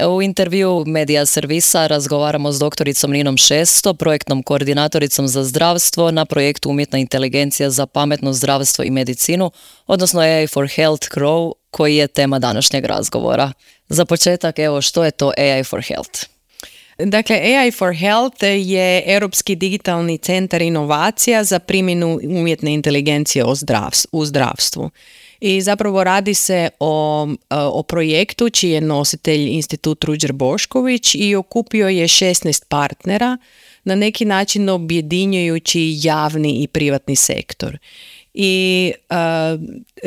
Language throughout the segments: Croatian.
U intervju Medija Servisa razgovaramo s doktoricom Ninom Šesto, projektnom koordinatoricom za zdravstvo na projektu Umjetna inteligencija za pametno zdravstvo i medicinu, odnosno AI for Health CROW, koji je tema današnjeg razgovora. Za početak, evo, što je to AI for Health? Dakle, AI for Health je Europski digitalni centar inovacija za primjenu umjetne inteligencije u zdravstvu. I zapravo radi se o projektu čiji je nositelj Institut Ruđer Bošković i okupio je 16 partnera, na neki način objedinjujući javni i privatni sektor. I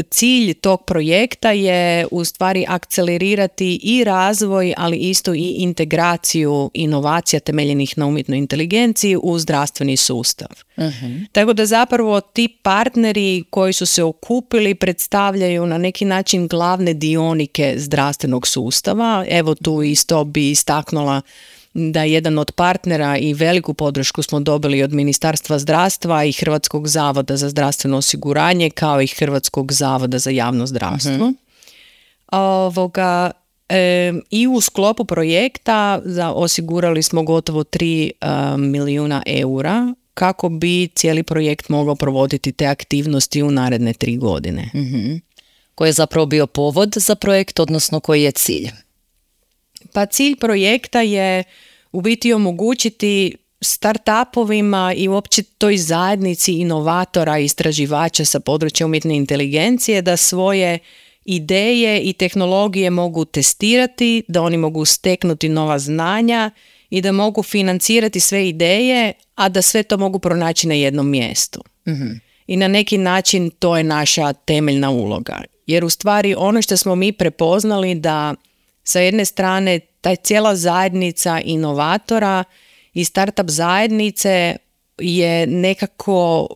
cilj tog projekta je u stvari akcelerirati i razvoj, ali isto i integraciju inovacija temeljenih na umjetnoj inteligenciji u zdravstveni sustav. Uh-huh. Tako da zapravo ti partneri koji su se okupili predstavljaju na neki način glavne dionike zdravstvenog sustava. Evo tu isto bi istaknula da jedan od partnera i veliku podršku smo dobili od Ministarstva zdravstva i Hrvatskog zavoda za zdravstveno osiguranje, kao i Hrvatskog zavoda za javno zdravstvo. I u sklopu projekta osigurali smo gotovo 3 milijuna eura kako bi cijeli projekt mogao provoditi te aktivnosti u naredne 3 godine. Uh-huh. Koji je zapravo bio povod za projekt, odnosno koji je cilj? Pa cilj projekta je u biti omogućiti startupovima i uopće toj zajednici inovatora i istraživača sa područja umjetne inteligencije da svoje ideje i tehnologije mogu testirati, da oni mogu steknuti nova znanja i da mogu financirati sve ideje, a da sve to mogu pronaći na jednom mjestu. Mm-hmm. I na neki način to je naša temeljna uloga. Jer u stvari ono što smo mi prepoznali da sa jedne strane ta cijela zajednica inovatora i startup zajednice je nekako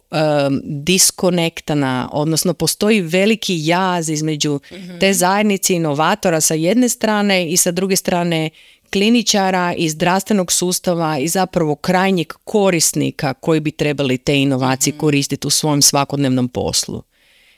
diskonektana, odnosno postoji veliki jaz između te zajednice inovatora sa jedne strane i sa druge strane kliničara i zdravstvenog sustava i zapravo krajnjeg korisnika koji bi trebali te inovacije koristiti u svom svakodnevnom poslu.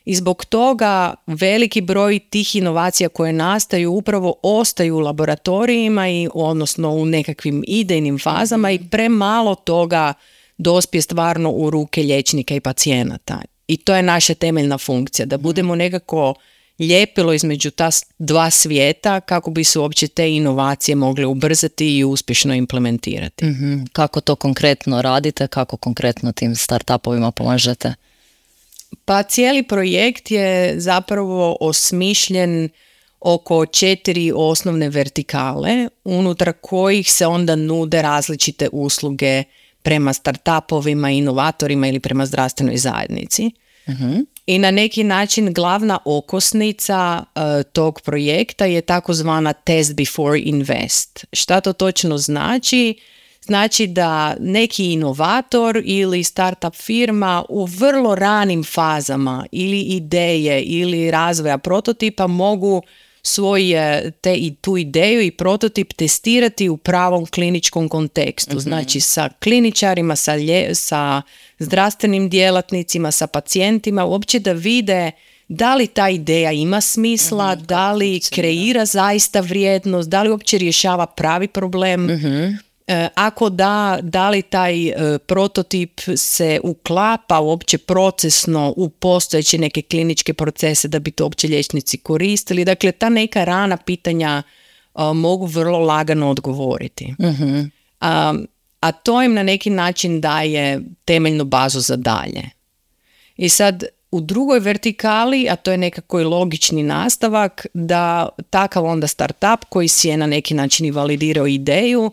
I zbog toga veliki broj tih inovacija koje nastaju upravo ostaju u laboratorijima i odnosno u nekakvim idejnim fazama i premalo toga dospije stvarno u ruke liječnika i pacijenata. I to je naša temeljna funkcija, da budemo nekako ljepilo između ta dva svijeta kako bi se uopće te inovacije mogle ubrzati i uspješno implementirati. Mm-hmm. Kako to konkretno radite, kako konkretno tim startupovima pomažete? Pa cijeli projekt je zapravo osmišljen oko 4 osnovne vertikale, unutar kojih se onda nude različite usluge prema startupovima, inovatorima ili prema zdravstvenoj zajednici. Uh-huh. I na neki način glavna okosnica tog projekta je takozvana Test Before Invest. Šta to točno znači? Znači da neki inovator ili startup firma u vrlo ranim fazama ili ideje ili razvoja prototipa mogu tu ideju i prototip testirati u pravom kliničkom kontekstu. Znači sa kliničarima, sa zdravstvenim djelatnicima, sa pacijentima, uopće da vide da li ta ideja ima smisla, da li kreira zaista vrijednost, da li uopće rješava pravi problem. Ako da li taj prototip se uklapa uopće procesno u postojeće neke kliničke procese da bi to uopće liječnici koristili. Dakle, ta neka rana pitanja mogu vrlo lagano odgovoriti. Uh-huh. A to im na neki način daje temeljnu bazu za dalje. I sad u drugoj vertikali, a to je nekako i logični nastavak, da takav onda startup koji si je na neki način i validirao ideju,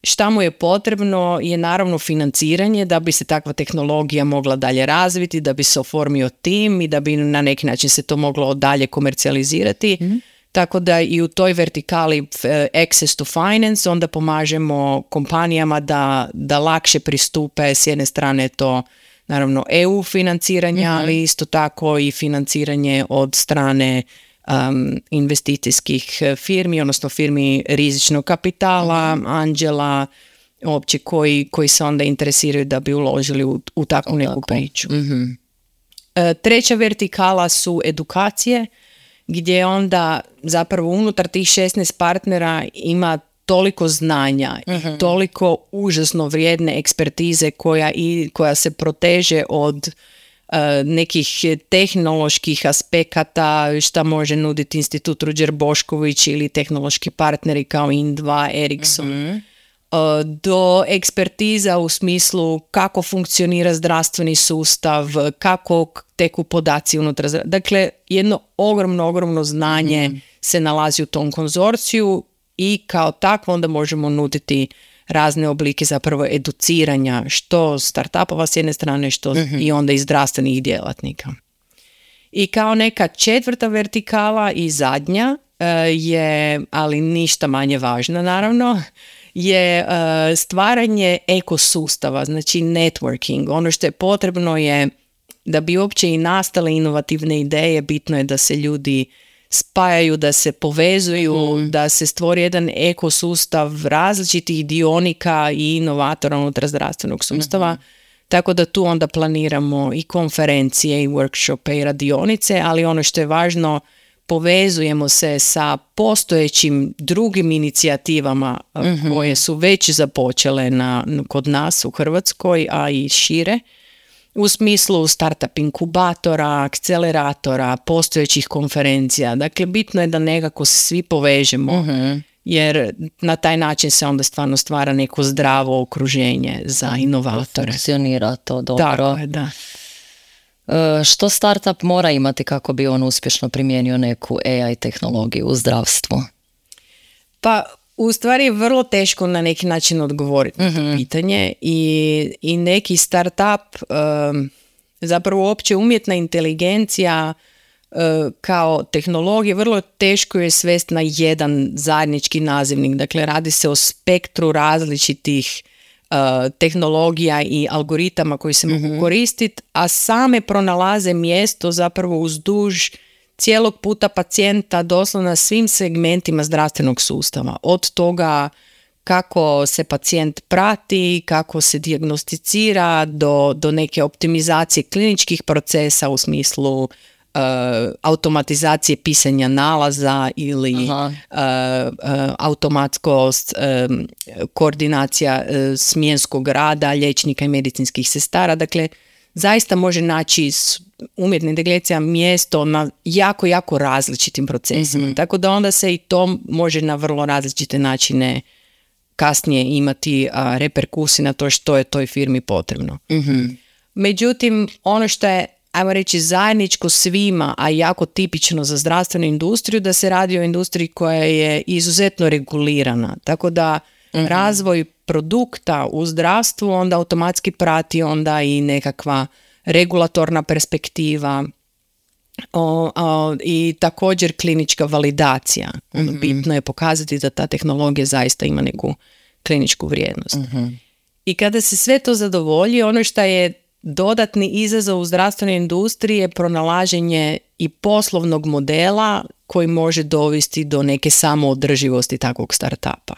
šta mu je potrebno je naravno financiranje da bi se takva tehnologija mogla dalje razviti, da bi se oformio tim i da bi na neki način se to moglo dalje komercijalizirati. Tako da i u toj vertikali access to finance onda pomažemo kompanijama da lakše pristupe, s jedne strane to naravno EU financiranja, ali isto tako i financiranje od strane investicijskih firmi, odnosno firmi rizičnog kapitala, anđela, uopće koji se onda interesiraju da bi uložili u takvu neku priču. Treća vertikala su edukacije gdje onda zapravo unutar tih 16 partnera ima toliko znanja i toliko užasno vrijedne ekspertize koja se proteže od nekih tehnoloških aspekata šta može nuditi Institut Ruđer Bošković ili tehnološki partneri kao Indva, Ericsson, do ekspertiza u smislu kako funkcionira zdravstveni sustav, kako teku podaci unutar. Dakle, jedno ogromno znanje se nalazi u tom konzorciju i kao takvo onda možemo nuditi razne oblike zapravo educiranja, što startupova s jedne strane, što i onda i zdravstvenih djelatnika. I kao neka četvrta vertikala i zadnja je, ali ništa manje važna naravno, je stvaranje ekosustava, znači networking. Ono što je potrebno je da bi uopće i nastale inovativne ideje, bitno je da se ljudi spajaju, da se povezuju, da se stvori jedan ekosustav različitih dionika i inovatora unutar zdravstvenog sustava. Tako da tu onda planiramo i konferencije i workshope i radionice, ali ono što je važno, povezujemo se sa postojećim drugim inicijativama koje su već započele kod nas u Hrvatskoj, a i šire, u smislu startup inkubatora, akceleratora, postojećih konferencija. Dakle, bitno je da nekako se svi povežemo, jer na taj način se onda stvarno stvara neko zdravo okruženje za inovatore. Funkcionira to dobro. Tako je, da. Što startup mora imati kako bi on uspješno primijenio neku AI tehnologiju u zdravstvu? Pa, u stvari je vrlo teško na neki način odgovoriti na to pitanje i neki startup, zapravo uopće umjetna inteligencija kao tehnologija, vrlo teško je svesti na jedan zajednički nazivnik. Dakle, radi se o spektru različitih tehnologija i algoritama koji se mogu koristiti, a same pronalaze mjesto zapravo uzduž cijelog puta pacijenta, doslovno na svim segmentima zdravstvenog sustava. Od toga kako se pacijent prati, kako se dijagnosticira, do neke optimizacije kliničkih procesa u smislu automatizacije pisanja nalaza ili automatskost, koordinacija smjenskog rada liječnika i medicinskih sestara. Dakle, zaista može naći umjetna inteligencija mjesto na jako različitim procesima. Tako da onda se i to može na vrlo različite načine kasnije imati reperkusije na to što je toj firmi potrebno. Međutim, ono što je, ajmo reći, zajedničko svima, a jako tipično za zdravstvenu industriju, da se radi o industriji koja je izuzetno regulirana. Tako da razvoj produkta u zdravstvu onda automatski prati onda i nekakva regulatorna perspektiva i također klinička validacija. Bitno je pokazati da ta tehnologija zaista ima neku kliničku vrijednost. I kada se sve to zadovolji, ono što je dodatni izazov u zdravstvenoj industriji je pronalaženje i poslovnog modela koji može dovesti do neke samoodrživosti takvog startupa.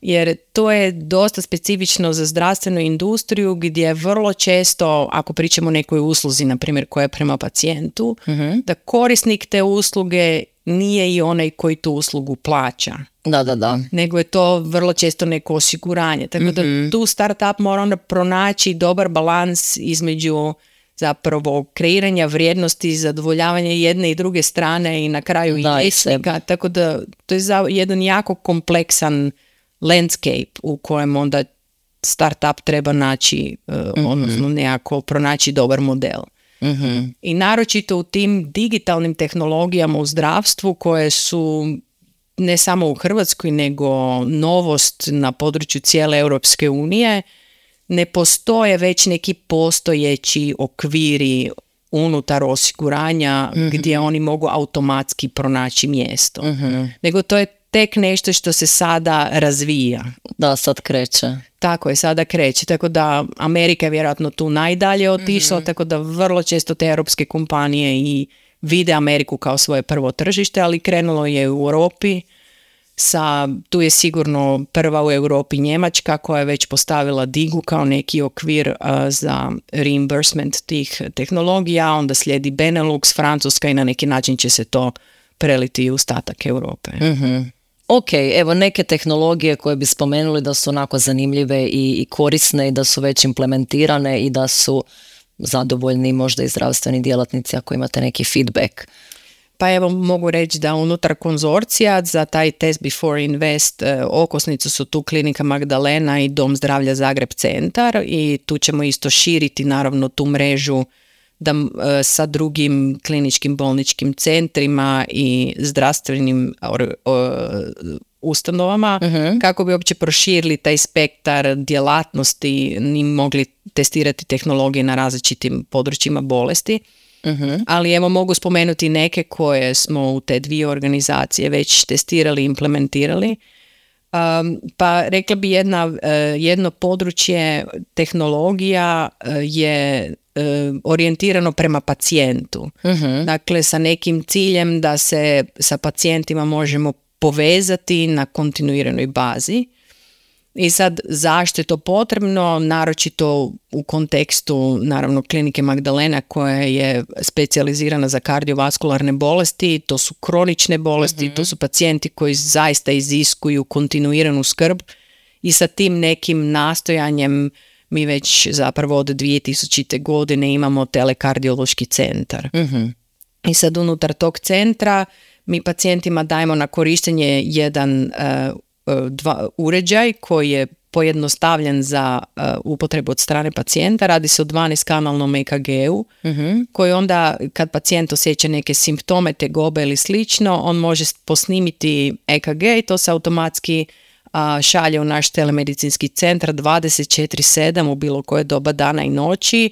Jer to je dosta specifično za zdravstvenu industriju gdje vrlo često, ako pričamo o nekoj usluzi, na primjer koja je prema pacijentu, da korisnik te usluge nije i onaj koji tu uslugu plaća. Da. Nego je to vrlo često neko osiguranje. Tako da tu startup mora onda pronaći dobar balans između zapravo kreiranja vrijednosti, zadovoljavanja jedne i druge strane i na kraju i liječnika. Tako da to je jedan jako kompleksan landscape u kojem onda startup treba naći, odnosno nekako pronaći dobar model. I naročito u tim digitalnim tehnologijama u zdravstvu koje su ne samo u Hrvatskoj nego novost na području cijele Europske unije, ne postoje već neki postojeći okviri unutar osiguranja gdje oni mogu automatski pronaći mjesto. Nego to je tek nešto što se sada razvija. Da, sad kreće. Tako je, sada kreće. Tako da Amerika je vjerojatno tu najdalje otišla, tako da vrlo često te europske kompanije i vide Ameriku kao svoje prvo tržište, ali krenulo je u Europi. Tu je sigurno prva u Europi Njemačka koja je već postavila DIGU kao neki okvir za reimbursement tih tehnologija, onda slijedi Benelux, Francuska i na neki način će se to preliti u ostatak Europe. Ok, evo neke tehnologije koje bi spomenuli da su onako zanimljive i korisne i da su već implementirane i da su zadovoljni možda i zdravstveni djelatnici ako imate neki feedback. Pa evo mogu reći da unutar konzorcija za taj Test Before Invest okosnicu su tu Klinika Magdalena i Dom zdravlja Zagreb centar i tu ćemo isto širiti naravno tu mrežu da sa drugim kliničkim bolničkim centrima i zdravstvenim ustanovama kako bi uopće proširili taj spektar djelatnosti i mogli testirati tehnologije na različitim područjima bolesti. Ali evo mogu spomenuti neke koje smo u te dvije organizacije već testirali i implementirali. Pa rekla bi jedno područje tehnologija je orijentirano prema pacijentu. Dakle, sa nekim ciljem da se sa pacijentima možemo povezati na kontinuiranoj bazi. I sad, zašto je to potrebno? Naročito u kontekstu, naravno, Klinike Magdalena koja je specijalizirana za kardiovaskularne bolesti, to su kronične bolesti, to su pacijenti koji zaista iziskuju kontinuiranu skrb i sa tim nekim nastojanjem mi već zapravo od 2000. godine imamo telekardiološki centar. I sad unutar tog centra mi pacijentima dajemo na korištenje jedan uređaj koji je pojednostavljen za upotrebu od strane pacijenta. Radi se o 12-kanalnom EKG-u koji onda kad pacijent osjeća neke simptome, tegobe ili slično, on može posnimiti EKG i to se automatski šalje u naš telemedicinski centar 24/7 u bilo koje doba dana i noći.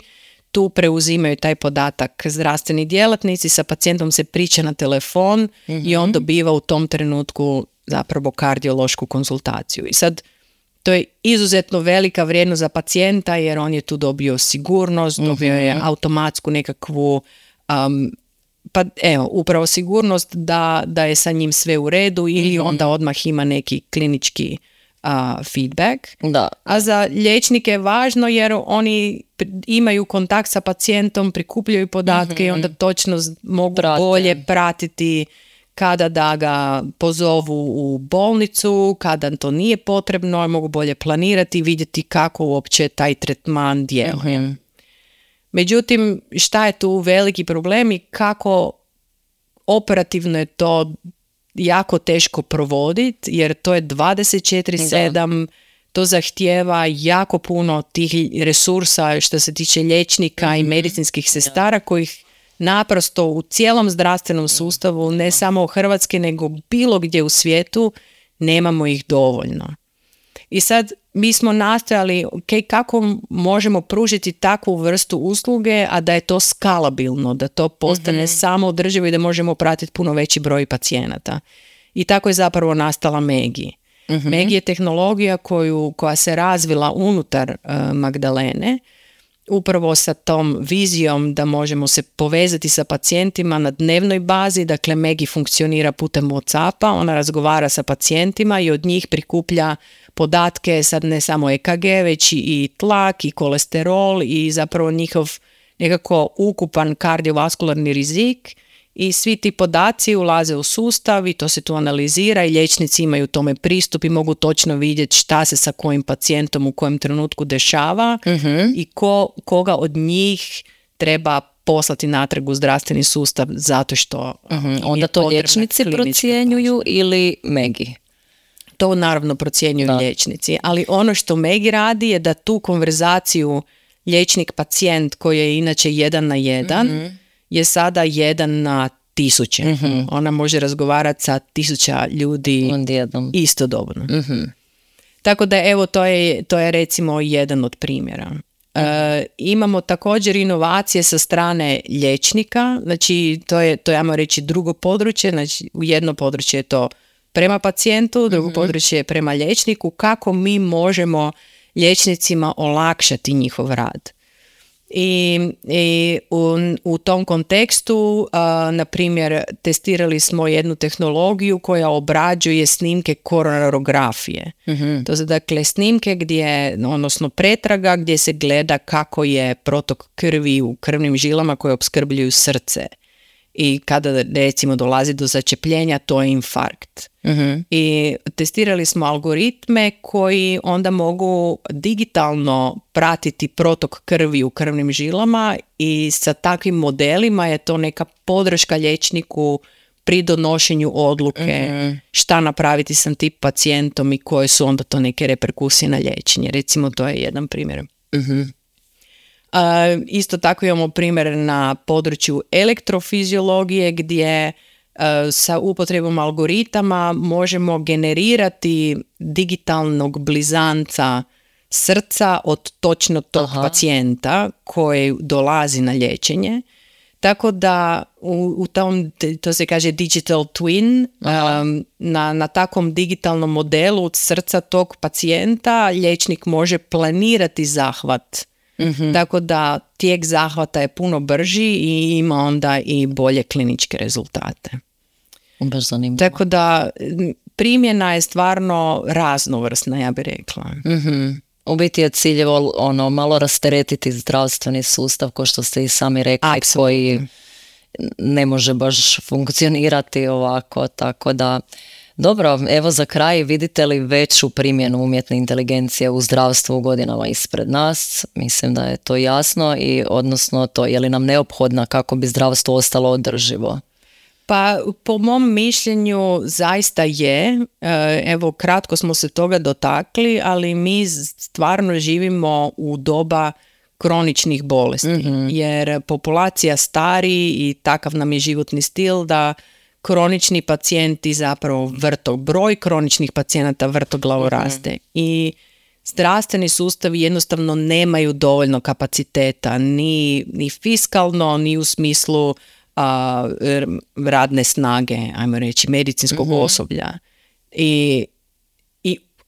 Tu preuzimaju taj podatak zdravstveni djelatnici, sa pacijentom se priča na telefon i on dobiva u tom trenutku zapravo kardiološku konzultaciju. I sad to je izuzetno velika vrijednost za pacijenta jer on je tu dobio sigurnost, dobio je automatsku nekakvu pa evo, upravo sigurnost da je sa njim sve u redu ili onda odmah ima neki klinički feedback. Da. A za liječnike je važno jer oni imaju kontakt sa pacijentom, prikupljaju podatke i onda točno mogu bolje pratiti kada da ga pozovu u bolnicu, kada to nije potrebno, mogu bolje planirati i vidjeti kako uopće taj tretman djeluje. Međutim, šta je tu veliki problem i kako operativno je to jako teško provoditi, jer to je 24/7, to zahtijeva jako puno tih resursa što se tiče liječnika i medicinskih sestara kojih naprosto u cijelom zdravstvenom sustavu, ne samo u Hrvatskoj, nego bilo gdje u svijetu, nemamo ih dovoljno. I sad mi smo nastojali kako možemo pružiti takvu vrstu usluge, a da je to skalabilno, da to postane samo održivo i da možemo pratiti puno veći broj pacijenata. I tako je zapravo nastala Megi. Megi je tehnologija koja se razvila unutar Magdalene, upravo sa tom vizijom da možemo se povezati sa pacijentima na dnevnoj bazi. Dakle, Megi funkcionira putem WhatsAppa, ona razgovara sa pacijentima i od njih prikuplja podatke, sad ne samo EKG, već i tlak i kolesterol i zapravo njihov nekako ukupan kardiovaskularni rizik i svi ti podaci ulaze u sustav i to se tu analizira i liječnici imaju tome pristup i mogu točno vidjeti šta se sa kojim pacijentom u kojem trenutku dešava i koga od njih treba poslati natrag u zdravstveni sustav zato što onda to liječnici procjenjuju ili Megi? To naravno procjenjuju liječnici, ali ono što Megi radi je da tu konverzaciju liječnik-pacijent koji je inače 1:1 je sada 1:1000. Ona može razgovarati sa 1000 ljudi istodobno. Tako da evo to je recimo jedan od primjera. Imamo također inovacije sa strane liječnika, znači to je ajmo reći drugo područje, znači u jedno područje je to prema pacijentu, drugo područje je prema liječniku, kako mi možemo liječnicima olakšati njihov rad. I u tom kontekstu, na primjer, testirali smo jednu tehnologiju koja obrađuje snimke koronarografije. To su dakle snimke odnosno pretraga gdje se gleda kako je protok krvi u krvnim žilama koje opskrbljuju srce. i kada recimo dolazi do začepljenja, to je infarkt. I testirali smo algoritme koji onda mogu digitalno pratiti protok krvi u krvnim žilama i sa takvim modelima je to neka podrška liječniku pri donošenju odluke šta napraviti sa tim pacijentom i koje su onda to neke reperkusije na liječenje. Recimo, to je jedan primjer. Isto tako imamo primjer na području elektrofiziologije gdje sa upotrebom algoritama možemo generirati digitalnog blizanca srca od točno tog pacijenta koji dolazi na liječenje. Tako da u tom, to se kaže digital twin, na takvom digitalnom modelu od srca tog pacijenta liječnik može planirati zahvat. Tako da tijek zahvata je puno brži i ima onda i bolje kliničke rezultate. Baš zanimljivo. Tako da primjena je stvarno raznovrsna, ja bih rekla. U biti je cilj malo rasteretiti zdravstveni sustav, kao što ste i sami rekli, koji ne može baš funkcionirati ovako, tako da dobro, evo za kraj, vidite li veću primjenu umjetne inteligencije u zdravstvu u godinama ispred nas? Mislim da je to jasno i odnosno to je li nam neophodna kako bi zdravstvo ostalo održivo? Pa po mom mišljenju zaista je, evo kratko smo se toga dotakli, ali mi stvarno živimo u doba kroničnih bolesti, jer populacija stari i takav nam je životni stil da kronični pacijenti zapravo broj kroničnih pacijenata vrtoglavo raste i zdravstveni sustavi jednostavno nemaju dovoljno kapaciteta ni fiskalno, ni u smislu radne snage, ajmo reći, medicinskog osoblja. I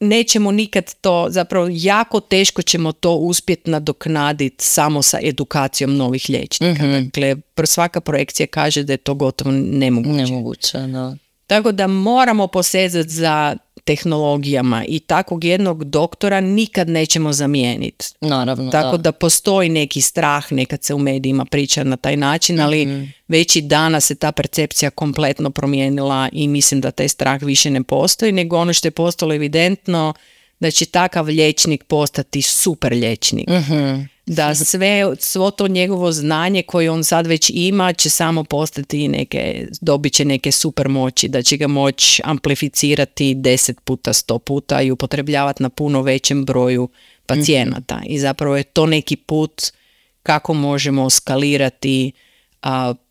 nećemo nikad to, zapravo jako teško ćemo to uspjeti nadoknaditi samo sa edukacijom novih liječnika. Dakle, svaka projekcija kaže da je to gotovo nemoguće. No. Tako da moramo posezati za tehnologijama i takvog jednog doktora nikad nećemo zamijeniti. Naravno, tako da postoji neki strah, nekad se u medijima priča na taj način, ali već i danas se ta percepcija kompletno promijenila i mislim da taj strah više ne postoji, nego ono što je postalo evidentno da će takav liječnik postati super liječnik. Da svo to njegovo znanje koje on sad već ima će samo postati dobit će neke super moći, da će ga moći amplificirati 10 puta, 100 puta i upotrebljavati na puno većem broju pacijenata. I zapravo je to neki put kako možemo skalirati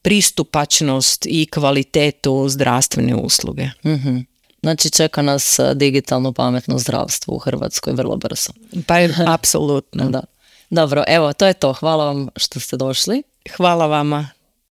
pristupačnost i kvalitetu zdravstvene usluge. Znači čeka nas digitalno pametno zdravstvo u Hrvatskoj vrlo brzo. Pa apsolutno. Da. Dobro, evo, to je to. Hvala vam što ste došli. Hvala vama.